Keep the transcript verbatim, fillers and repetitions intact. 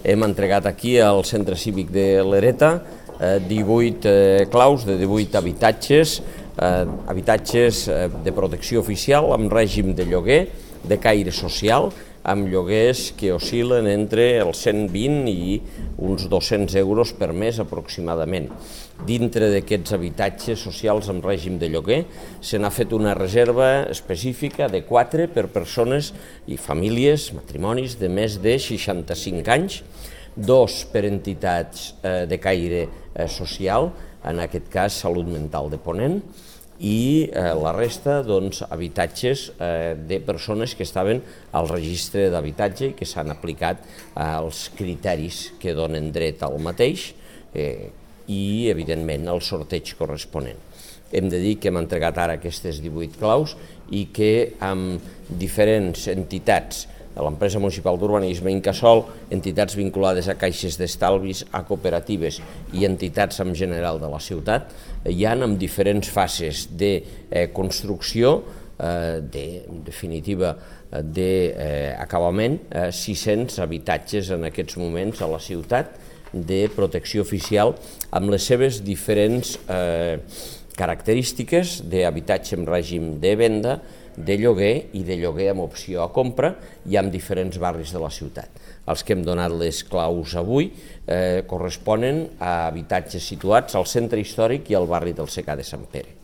hem entregat aquí al Centre Cívic de l'Hereta divuit claus de divuit habitatges, habitatges de protecció oficial amb règim de lloguer, de caire social, amb lloguers que oscil·len entre els cent vint i uns dos-cents euros per mes aproximadament. Dintre d'aquests habitatges socials amb règim de lloguer se n'ha fet una reserva específica de quatre per persones i famílies, matrimonis de més de seixanta-cinc anys, dos per entitats de caire social, en aquest cas Salut Mental de Ponent, i la resta, doncs, habitatges de persones que estaven al registre d'habitatge i que s'han aplicat als criteris que donen dret al mateix i, evidentment, al sorteig corresponent. Hem de dir que hem entregat ara aquestes divuit claus i que amb diferents entitats de l'empresa municipal d'urbanisme, Incasòl, entitats vinculades a caixes d'estalvis, a cooperatives i entitats en general de la ciutat, hi ha en diferents fases de construcció, de definitiva d'acabament, sis-cents habitatges en aquests moments a la ciutat de protecció oficial amb les seves diferents característiques d'habitatge en règim de venda, de lloguer i de lloguer amb opció a compra i en diferents barris de la ciutat. Els que hem donat les claus avui corresponen a habitatges situats al centre històric i al barri del Secà de Sant Pere.